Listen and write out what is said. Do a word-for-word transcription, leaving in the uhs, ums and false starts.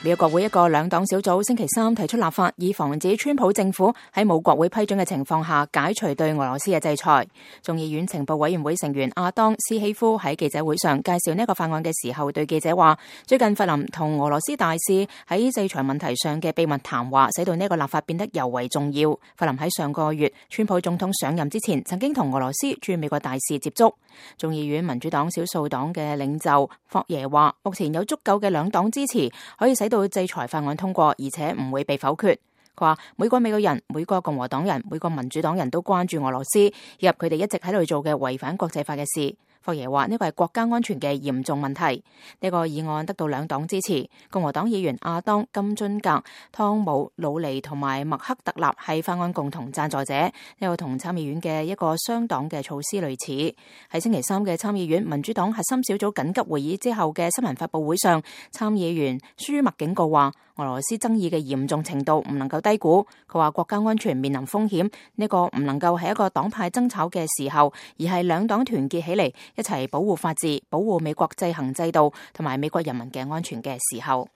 美國國會一個兩黨小組星期三提出立法，以防止川普政府喺冇國會批准嘅情況下解除對俄羅斯嘅制裁。眾議院情報委員會成員阿當斯希夫喺記者會上介紹呢一個法案嘅時候，對記者話：最近弗林同俄羅斯大使喺制裁問題上嘅秘密談話，使到呢一個立法變得尤為重要。弗林喺上個月川普總統上任之前，曾經同俄羅斯駐美國大使接觸。眾議院民主黨少數黨嘅領袖霍耶話：目前有足夠嘅兩黨支持，可以使到制裁法案通過，而且唔會被否決。佢話每個美國人、每個共和黨人、每個民主黨人都關注俄羅斯，以及佢哋一直喺度做嘅違反國際法嘅事。霍耶話呢個係國家安全嘅嚴重問題。呢個議案得到兩黨支持，共和黨議員阿當、金津格、湯姆、魯尼同埋麥克特納係法案共同贊助者。呢個同參議院嘅一個雙黨嘅措施類似。喺星期三嘅參議院民主黨核心小組緊急會議之後嘅新聞發佈會上，參議員舒默警告話，俄羅斯爭議嘅嚴重程度唔能夠低估。佢話國家安全面臨風險，呢個唔能夠係一個黨派爭吵嘅時候，而係兩黨團結起嚟一齊保護法治、保護美國制衡制度同埋美國人民嘅安全嘅時候。